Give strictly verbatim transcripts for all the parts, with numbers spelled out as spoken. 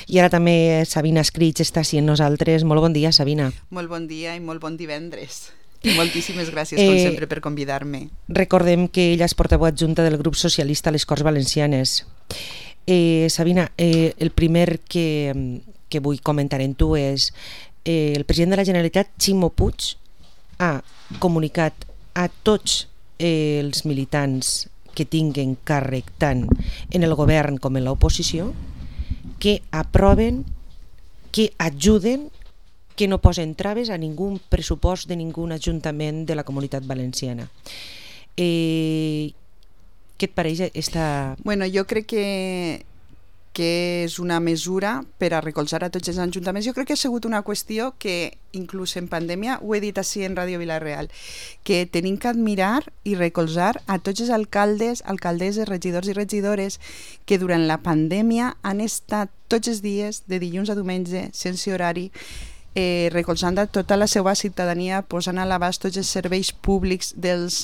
I ara també Sabina Escrits està així amb nosaltres. Molt bon dia, Sabina. Molt bon dia i molt bon divendres. I moltíssimes gràcies, com eh, sempre, per convidar-me. Recordem que ella és portaveu adjunta del grup socialista a les Corts Valencianes. Eh, Sabina, eh, el primer que, que vull comentar en tu és eh, el president de la Generalitat, Ximo Puig, ha comunicat a tots eh, els militants que tinguen càrrec tant en el govern com en l'oposició que aproven, que ajuden, que no posen traves a ningú pressupost de ningú ajuntament de la Comunitat Valenciana. Eh, què et pareix esta... Bueno, jo crec que que és una mesura per a recolzar a tots els ajuntaments. Jo crec que ha sigut una qüestió que, inclús en pandèmia, ho he dit així en Ràdio Vila-real, que tenim que admirar i recolzar a tots els alcaldes, alcaldesses, regidors i regidores que durant la pandèmia han estat tots els dies, de dilluns a diumenge, sense horari, eh, recolzant a tota la seva ciutadania, posant a l'abast tots els serveis públics dels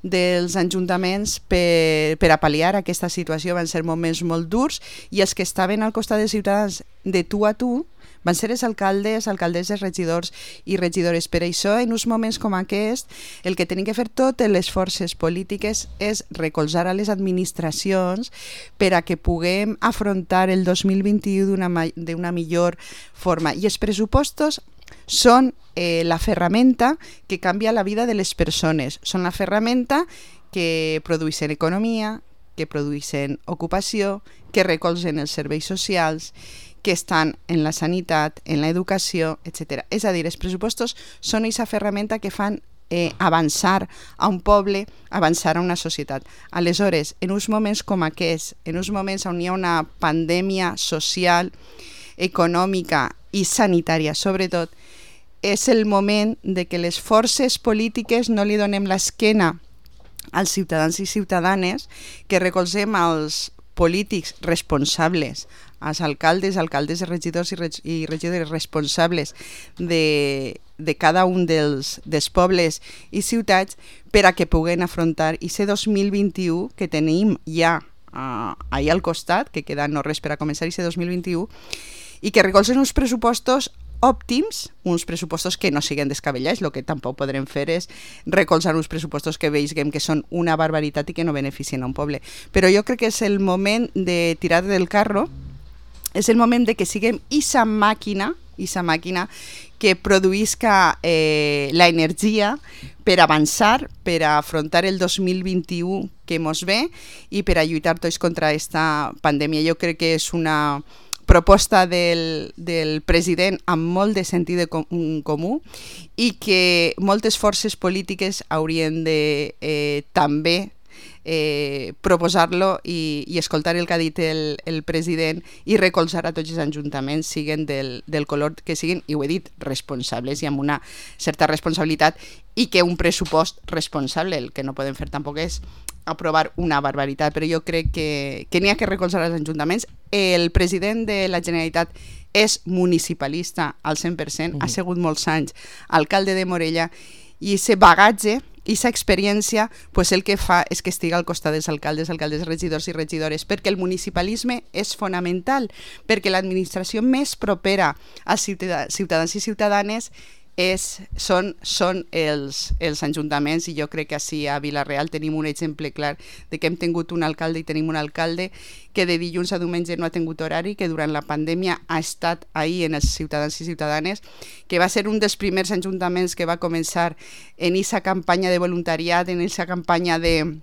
dels ajuntaments per, per a pal·liar aquesta situació. Van ser moments molt durs i els que estaven al costat dels ciutadans de tu a tu van ser els alcaldes, alcaldesses, regidors i regidores. Per això, en uns moments com aquest, el que tenim que fer totes les forces polítiques és recolzar a les administracions per a que puguem afrontar el dos mil vint-i-u d'una, d'una millor forma. I els pressupostos són eh, la ferramenta que canvia la vida de les persones, són la ferramenta que produeixen economia, que produeixen ocupació, que recolzen els serveis socials, que estan en la sanitat, en l'educació, etcètera. És a dir, els pressupostos són aquesta ferramenta que fan eh, avançar a un poble, avançar a una societat. Aleshores, en uns moments com aquests, en uns moments on hi ha una pandèmia social, econòmica i sanitària, sobretot, és el moment de que les forces polítiques no li donem l'esquena als ciutadans i ciutadanes, que recolzem als polítics responsables, als alcaldes, alcaldes, regidors i, reg i regidores responsables de, de cada un dels, dels pobles i ciutats per a que puguen afrontar aquest dos mil vint-i-u que tenim ja uh, ahir al costat, que queda no res per a començar aquest dos mil vint-i-u, i que recolzen uns pressupostos òptims, uns pressupostos que no siguin descabellats. El que tampoc podrem fer és recolzar uns pressupostos que veiem que són una barbaritat i que no beneficien a un poble. Però jo crec que és el moment de tirar del carro, és el moment de que siguem esa màquina, esa màquina que produïsca eh, la energia per avançar, per a afrontar el dos mil vint-i-u que mos ve i per a lluitar tots contra aquesta pandèmia. Jo crec que és una proposta del, del president amb molt de sentit de com, comú i que moltes forces polítiques haurien de eh, també eh, proposar-lo i, i escoltar el que ha dit el, el president i recolzar a tots els ajuntaments, siguin del, del color que siguin, i ho he dit, responsables i amb una certa responsabilitat, i que un pressupost responsable, el que no podem fer tampoc és aprovar una barbaritat, però jo crec que, que n'hi ha que recolzar els ajuntaments. El president de la Generalitat és municipalista al cent per cent, uh-huh. ha sigut molts anys alcalde de Morella, i aquest bagatge, aquesta experiència, pues el que fa és que estigui al costat dels alcaldes, alcaldes, regidors i regidores, perquè el municipalisme és fonamental, perquè l'administració més propera als ciutadans i ciutadanes És, són, són els, els ajuntaments, i jo crec que així a Vila-real tenim un exemple clar de que hem tingut un alcalde i tenim un alcalde que de dilluns a diumenge no ha tingut horari, que durant la pandèmia ha estat ahí en els ciutadans i ciutadanes, que va ser un dels primers ajuntaments que va començar en aquesta campanya de voluntariat, en aquesta campanya de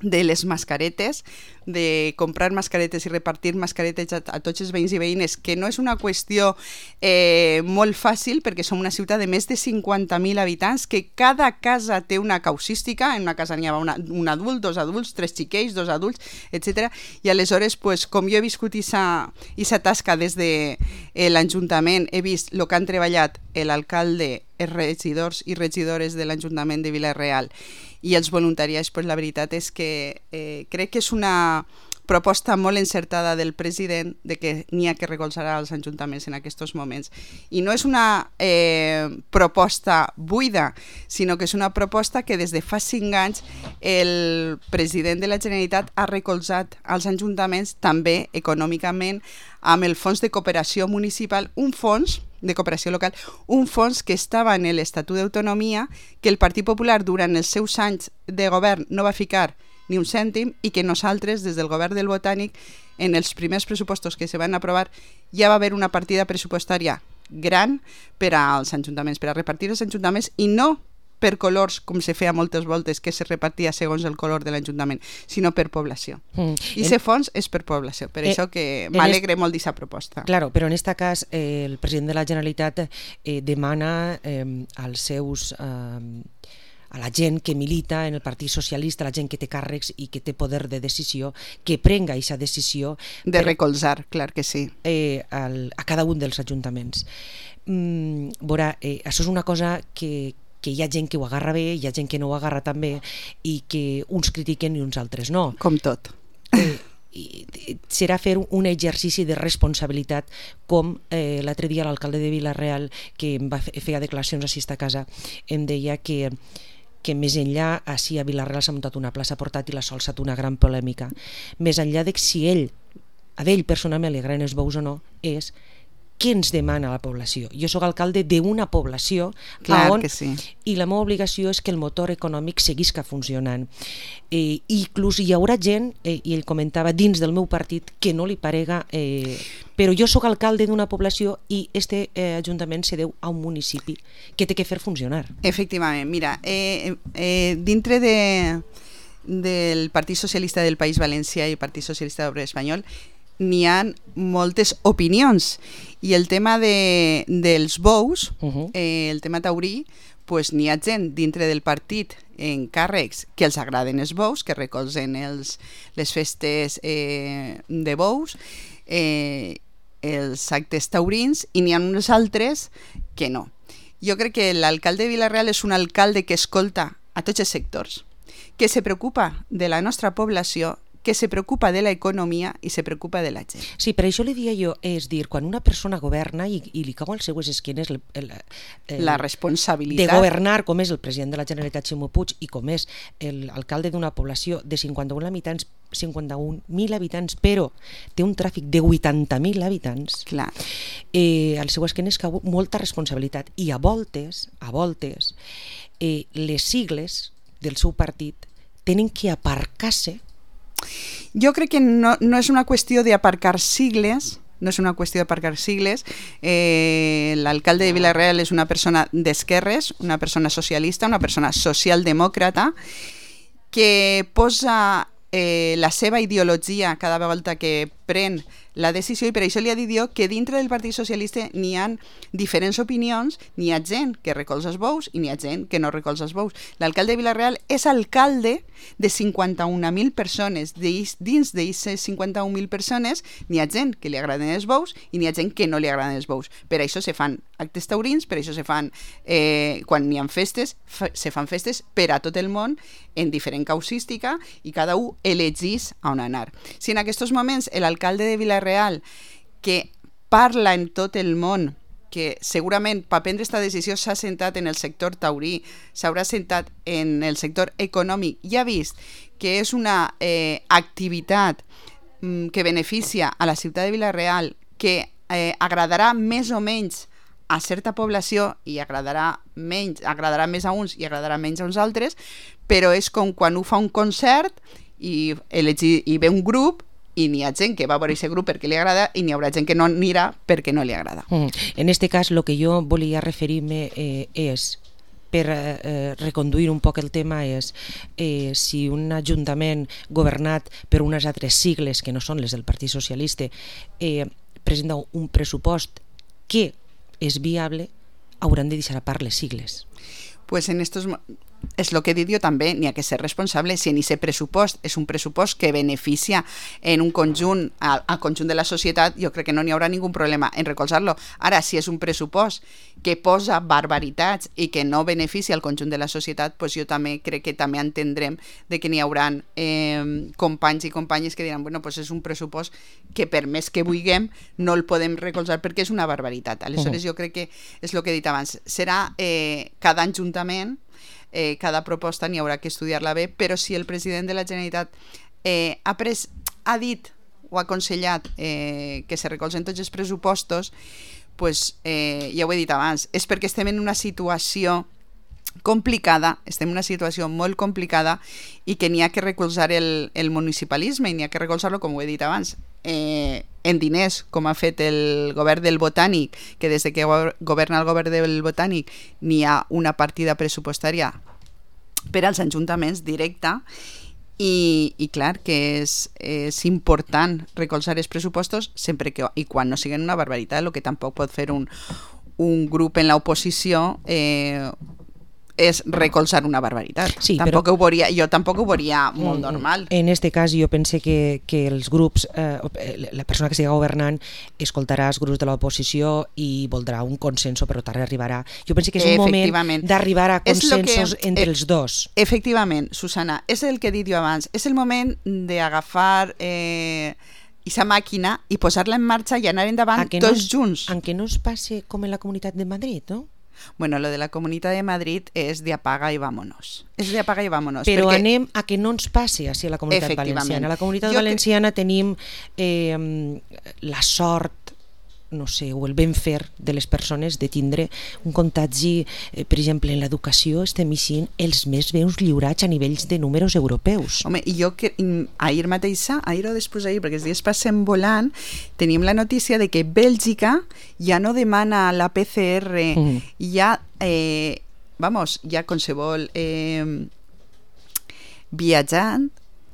de les mascaretes, de comprar mascaretes i repartir mascaretes a, a tots els veïns i veïnes, que no és una qüestió eh, molt fàcil, perquè som una ciutat de més de cinquanta mil habitants, que cada casa té una causística, en una casa n'hi ha una, un adult, dos adults, tres xiquets, dos adults, etcètera. I aleshores, pues, com jo he viscut aquesta tasca des de eh, l'Ajuntament, he vist el que han treballat l'alcalde, els regidors i regidores de l'Ajuntament de Vila-real i els voluntariats, pues la veritat és que eh, crec que és una, proposta molt encertada del president de que n'hi ha que recolzar als ajuntaments en aquests moments. I no és una eh, proposta buida, sinó que és una proposta que des de fa cinc anys el president de la Generalitat ha recolzat als ajuntaments també econòmicament amb el Fons de Cooperació Municipal, un fons de cooperació local, un fons que estava en l'Estatut d'Autonomia, que el Partit Popular durant els seus anys de govern no va ficar ni un cèntim i que nosaltres, des del govern del Botànic, en els primers pressupostos que se van aprovar, ja va haver una partida pressupostària gran per als ajuntaments, per a repartir els ajuntaments, i no per colors, com se feia moltes voltes, que se repartia segons el color de l'Ajuntament, sinó per població. Mm. I aquest fons és per població, per eh, això que m'alegre est... molt d'aquesta proposta. Claro, però en aquest cas eh, el president de la Generalitat eh, demana eh, als seus... Eh, a la gent que milita en el Partit Socialista, la gent que té càrrecs i que té poder de decisió, que prenga aquesta decisió de per, recolzar, clar que sí, eh, al, a cada un dels ajuntaments. Mm, veurà, eh, això és una cosa que, que hi ha gent que ho agarra bé, hi ha gent que no ho agarra tan bé i que uns critiquen i uns altres no. Com tot. Eh, i serà fer un exercici de responsabilitat, com eh, l'altre dia l'alcalde de Vila-real, que em va fer, feia declaracions així a casa, em deia que que més enllà, així a Vila-real s'ha muntat una plaça portàtil, ha solsat una gran polèmica. Més enllà de si ell, a ell personalment li agraden els bous o no, és què ens demana la població. Jo soc alcalde d'una població on, que sí. I la meva obligació és que el motor econòmic seguisca funcionant. Eh, inclús hi haurà gent, eh, i ell comentava, dins del meu partit que no li parega, eh, però jo soc alcalde d'una població i este eh, ajuntament se deu a un municipi que té que fer funcionar. Efectivament, mira, eh, eh, dintre de, del Partit Socialista del País Valencià i el Partit Socialista Obrer Espanyol n'hi ha moltes opinions, i el tema de, dels bous, uh-huh. eh, el tema taurí, pues n'hi ha gent dintre del partit en càrrecs que els agraden els bous, que recolzen els, les festes eh, de bous, eh, els actes taurins, i n'hi ha uns altres que no. Jo crec que l'alcalde de Vila-real és un alcalde que escolta a tots els sectors, que se preocupa de la nostra població, que se preocupa de l'economia i se preocupa de la gent. Sí, per això li dia jo, és dir, quan una persona governa i, i li cau als seues esquenes el, el, el, la responsabilitat de governar, com és el president de la Generalitat Ximo Puig i com és l'alcalde d'una població de cinquanta-un habitants, cinquanta-un mil habitants, però té un tràfic de vuitanta mil habitants, clar. Eh, als seues esquenes cau molta responsabilitat, i a voltes, a voltes, eh, les sigles del seu partit tenen que aparcar-se. Jo crec que no, no és una qüestió d'aparcar sigles, no és una qüestió d'aparcar sigles. Eh, l'alcalde de Vila-real és una persona d'esquerres, una persona socialista, una persona socialdemòcrata, que posa eh, la seva ideologia cada volta que pren la decisió, i per això li ha dit jo que dintre del Partit Socialista n'hi ha diferents opinions, n'hi ha gent que recolza els bous i n'hi ha gent que no recolza els bous. L'alcalde de Vila-real és alcalde de cinquanta-un mil persones. Dins d'aquestes cinquanta-un mil persones n'hi ha gent que li agraden els bous i n'hi ha gent que no li agraden els bous. Per això se fan actes taurins, per això se fan, eh, quan n'hi ha festes, se fan festes per a tot el món en diferent causística, i cada un elegís a on anar. Si en aquests moments l'alcalde de Vila-real, que parla en tot el món, que segurament per prendre aquesta decisió s'ha sentat en el sector taurí, s'haurà sentat en el sector econòmic, i ha vist que és una eh, activitat mm, que beneficia a la ciutat de Vila-real, que eh, agradarà més o menys a certa població i agradarà menys, agradarà més a uns i agradarà menys a uns altres, però és com quan ho fa un concert i, elegi, i ve un grup, i n'hi ha gent que va a veure aquest grup perquè li agrada i n'hi haurà gent que no anirà perquè no li agrada. Mm. En este cas, el que jo volia referir-me eh, és, per eh, reconduir un poc el tema, és eh, si un ajuntament governat per unes altres sigles que no són les del Partit Socialista eh, presenta un pressupost que és viable, hauran de deixar a part les sigles. Pues en estos és el que he dit jo també, n'hi ha que ser responsable. Si en aquest pressupost és un pressupost que beneficia en un conjunt, al, al conjunt de la societat, jo crec que no n'hi haurà ningú problema en recolzar-lo. Ara, si és un pressupost que posa barbaritats i que no beneficia al conjunt de la societat, doncs jo també crec que també entendrem de que n'hi haurà eh, companys i companyes que diran, bueno, doncs és un pressupost que per més que vulguem no el podem recolzar perquè és una barbaritat. Aleshores, uh-huh. jo crec que és el que he dit abans. Serà eh, cada ajuntament, Eh, cada proposta n'hi haurà que estudiar-la bé, però si el president de la Generalitat eh, ha, pres, ha dit o ha aconsellat eh, que se recolzen tots els pressupostos, pues, eh, ja ho he dit abans, és perquè estem en una situació complicada, estem en una situació molt complicada i que n'hi ha que recolzar el, el municipalisme i n'hi ha que recolzar-lo, com ho he dit abans, eh, en diners, com ha fet el govern del Botànic, que des de que governa el govern del Botànic n'hi ha una partida pressupostària per als ajuntaments directa i, i clar que és, és important recolzar els pressupostos sempre que, i quan no siguin una barbaritat, el que tampoc pot fer un, un grup en l'oposició eh, és recolzar una barbaritat. Sí, tampoc però, ho veuria, jo tampoc ho veuria molt normal. En este cas jo pense que, que els grups, eh, la persona que estigui governant escoltarà els grups de l'oposició i voldrà un consenso, però tard arribarà. Jo pense que és un moment d'arribar a consensos que, entre eh, els dos. Efectivament, Susana, és el que he dit jo abans, és el moment d'agafar eh, aquesta màquina i posar-la en marxa i anar endavant tots no, junts. En què no es passi com en la Comunitat de Madrid, no? Bueno, lo de la Comunitat de Madrid és de apaga i vámonos. És de apaga i vámonos. Però perquè... anem a que no ens passi així a la Comunitat Valenciana. A la Comunitat jo Valenciana que... tenim eh, la sort, no sé, o el ben fer de les persones de tindre un contagi, eh, per exemple, en l'educació estem eixint els més veus lliurats a nivells de números europeus. Home, i jo que ahir mateixa, ahir o després ahir, perquè els dies passen volant, tenim la notícia de que Bèlgica ja no demana la P C R, mm. ja, eh, vamos, ja qualsevol eh, viatjant,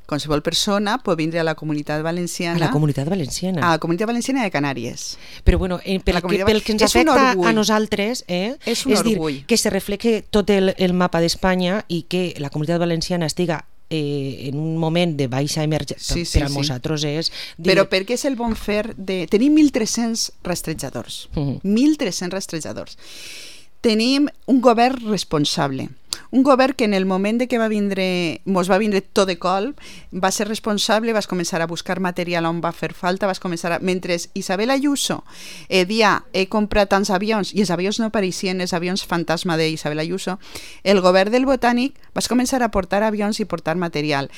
qualsevol persona pot vindre a la Comunitat Valenciana. A la Comunitat Valenciana. A la Comunitat Valenciana de Canàries. Però bueno, eh, pel, que, pel que ens afecta a nosaltres, eh, és un és orgull. Dir, que se reflexe tot el, el mapa d'Espanya i que la Comunitat Valenciana estiga eh, en un moment de baixa emergència, sí, sí, per a sí. nosaltres és... Dir... Però perquè és el bon fer de... Tenim mil tres-cents rastrejadors. Uh-huh. mil tres-cents rastrejadors. Tenim un govern responsable. Un govern que en el moment de que va vindre, mos va vindre tot de colp, va ser responsable, vas començar a buscar material on va fer falta, vas començar a... Mentre Isabel Ayuso eh, dia, he comprat tants avions, i els avions no apareixien, els avions fantasma d'Isabel Ayuso, el govern del Botànic vas començar a portar avions i portar material.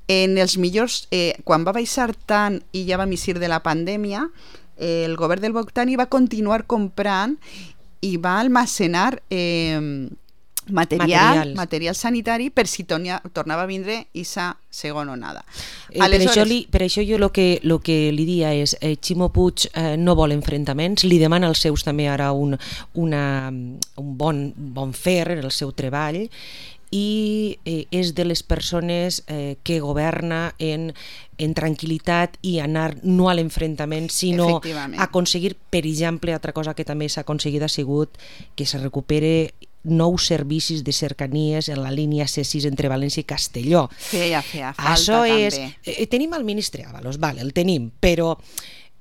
En els millors, eh, quan va baixar tant i ja va eixir de la pandèmia, eh, el govern del Botànic va continuar comprant i va almacenar... Eh, Material, material sanitari per si tornia, tornava a vindre aquesta segona onada. Eh, Aleshores... per, això li, per això jo el que, lo que li dia és eh, Ximo Puig eh, no vol enfrontaments, li demana als seus també ara un, una, un bon, bon fer en el seu treball i eh, és de les persones eh, que governa en, en tranquil·litat i anar no a l'enfrontament sinó a aconseguir, per exemple, altra cosa que també s'ha aconseguit ha sigut que se recupere nous servicis de cercanies en la línia C sis entre València i Castelló. Feia, feia falta Això també. És, eh, tenim el ministre Ábalos, vale, el tenim, però...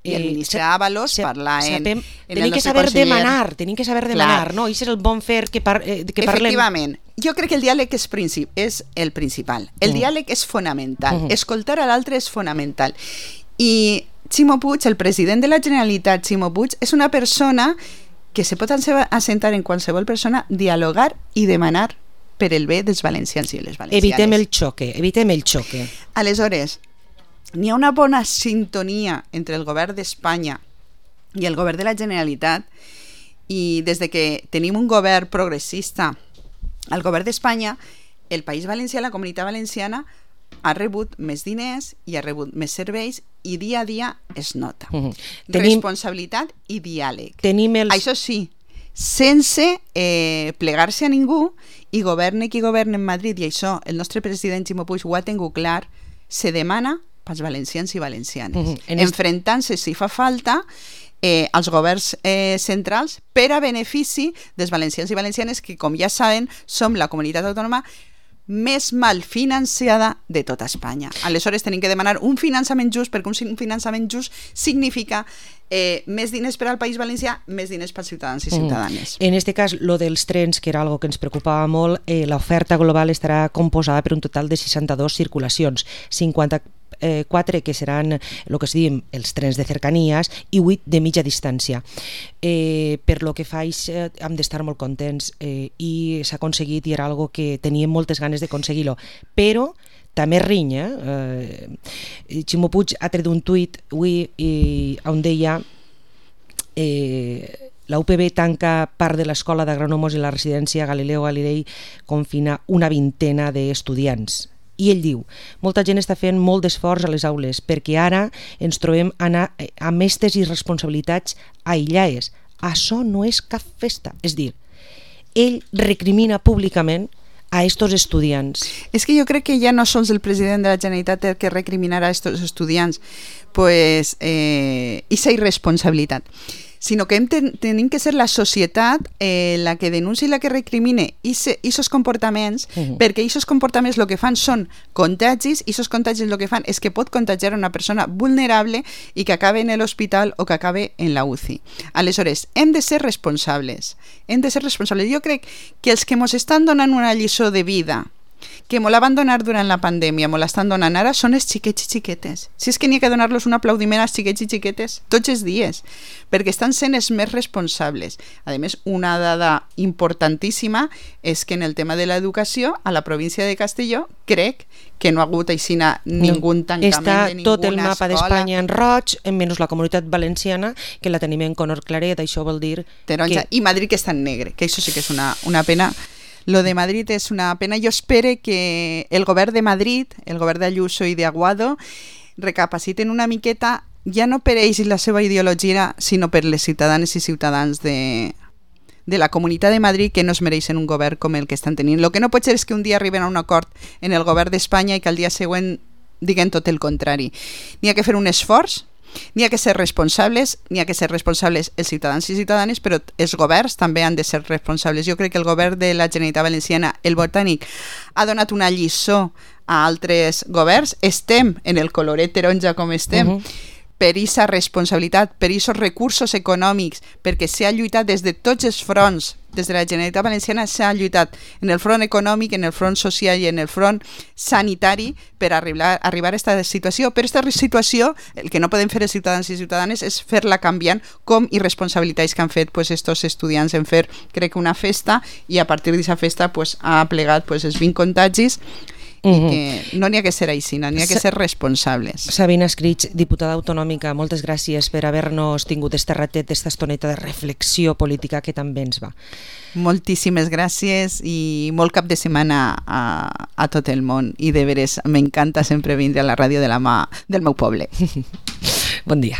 Eh, I el ministre Ábalos se, parla en... Sapem, en tenim que saber conseller. demanar, tenim que saber demanar, Clar. no? I és el bon fer que, par, eh, que parlem... Efectivament. Jo crec que el diàleg és, princip, és el principal. El mm. diàleg és fonamental. Mm. Escoltar a l'altre és fonamental. I Ximo Puig, el president de la Generalitat, Ximo Puig, és una persona que se pot assentar en qualsevol persona, dialogar i demanar per el bé dels valencians i les valencianes. Evitem el xoque, evitem el xoque. Aleshores, n'hi ha una bona sintonia entre el govern d'Espanya i el govern de la Generalitat i des de que tenim un govern progressista al govern d'Espanya, el País Valencià, la Comunitat Valenciana, ha rebut més diners i ha rebut més serveis i dia a dia es nota. Uh-huh. Tenim... Responsabilitat i diàleg. Tenim els... Això sí, sense eh, plegar-se a ningú i governe qui governa en Madrid, i això el nostre president Ximo Puig ho ha tingut clar, se demana pels valencians i valencianes. Uh-huh. En Enfrentant-se si fa falta eh, als governs eh, centrals per a benefici dels valencians i valencianes que, com ja saben, som la comunitat autònoma més mal financiada de tota Espanya. Aleshores tenim que demanar un finançament just, perquè un finançament just significa eh, més diners per al País Valencià, més diners pels ciutadans i ciutadanes. Mm. En este cas, lo dels trens, que era algo que ens preocupava molt, eh, l'oferta global estarà composada per un total de seixanta-dos circulacions, cinquanta-quatre que seran el que es diuen els trens de cercanies i vuit de mitja distància. Eh, per lo que faig eh, hem d'estar molt contents eh, i s'ha aconseguit i era algo que teníem moltes ganes d'aconseguir-lo, però també rinya. Eh, Ximo Puig ha tret un tuit avui i on deia eh, la U P B tanca part de l'escola d'agronòmos i la residència Galileo Galilei confina una vintena d'estudiants. I ell diu, molta gent està fent molt d'esforç a les aules perquè ara ens trobem anar amb aquestes irresponsabilitats aïllades. Això no és cap festa. És dir, ell recrimina públicament a estos estudiants. És que jo crec que ja no sols el president de la Generalitat el que recriminarà a estos estudiants pues, eh, i sa irresponsabilitat, sinó que hem ten, tenim que ser la societat eh, la que denuncia i la que recrimine aquests comportaments, uh-huh. perquè aquests comportaments el que fan són contagis, i aquests contagis el que fan és que pot contagiar una persona vulnerable i que acabe en l'hospital o que acabe en la U C I. Aleshores, hem de ser responsables, hem de ser responsables. Jo crec que els que ens estan donant una lliçó de vida, que me la van donar durant la pandèmia, me l'estan donant ara, són els xiquets i xiquetes. Si és que n'hi ha que donar-los un aplaudiment als xiquets i xiquetes tots els dies, perquè estan sent els més responsables. A més, una dada importantíssima és que en el tema de l'educació, a la província de Castelló, crec que no ha hagut aixina ningú tancament Està de ninguna tot el mapa d'Espanya en roig, menys la comunitat valenciana, que la tenim en color claret, això vol dir taronja, que... i Madrid que està en negre, que això sí que és una, una pena. Lo de Madrid és una pena. Jo espero que el govern de Madrid, el govern d'Ayuso i d'Aguado, recapaciten una miqueta, ja no per ells i la seva ideologia, sinó per les ciutadanes i ciutadans de, de la Comunitat de Madrid, que no es mereixen un govern com el que estan tenint. El que no pot ser és que un dia arriben a un acord en el govern d'Espanya i que al dia següent diguen tot el contrari. N'hi ha que fer un esforç, n'hi ha que ser responsables, n'hi ha que ser responsables els ciutadans i ciutadanes, però els governs també han de ser responsables. Jo crec que el govern de la Generalitat Valenciana, el botànic, ha donat una lliçó a altres governs. Estem en el coloret taronja com estem, uh-huh. per aquesta responsabilitat, per aquests recursos econòmics, perquè s'ha lluitat des de tots els fronts. Des de la Generalitat Valenciana s'ha lluitat en el front econòmic, en el front social i en el front sanitari per arribar, arribar a aquesta situació. Per aquesta situació, el que no poden fer els ciutadans i ciutadanes és fer-la canviant, com irresponsabilitats que han fet pues, estos estudiants en fer, crec que una festa, i a partir d'aquesta festa pues, ha plegat pues, els vint contagis. I que no n'hi ha que ser així, n'hi ha que ser responsables. Sabina Escrig, diputada autonòmica, moltes gràcies per haver-nos tingut este ratet, esta estoneta de reflexió política que també ens va. Moltíssimes gràcies i molt cap de setmana a, a tot el món, i de veres m'encanta sempre vindre a la ràdio de la mà del meu poble. Bon dia.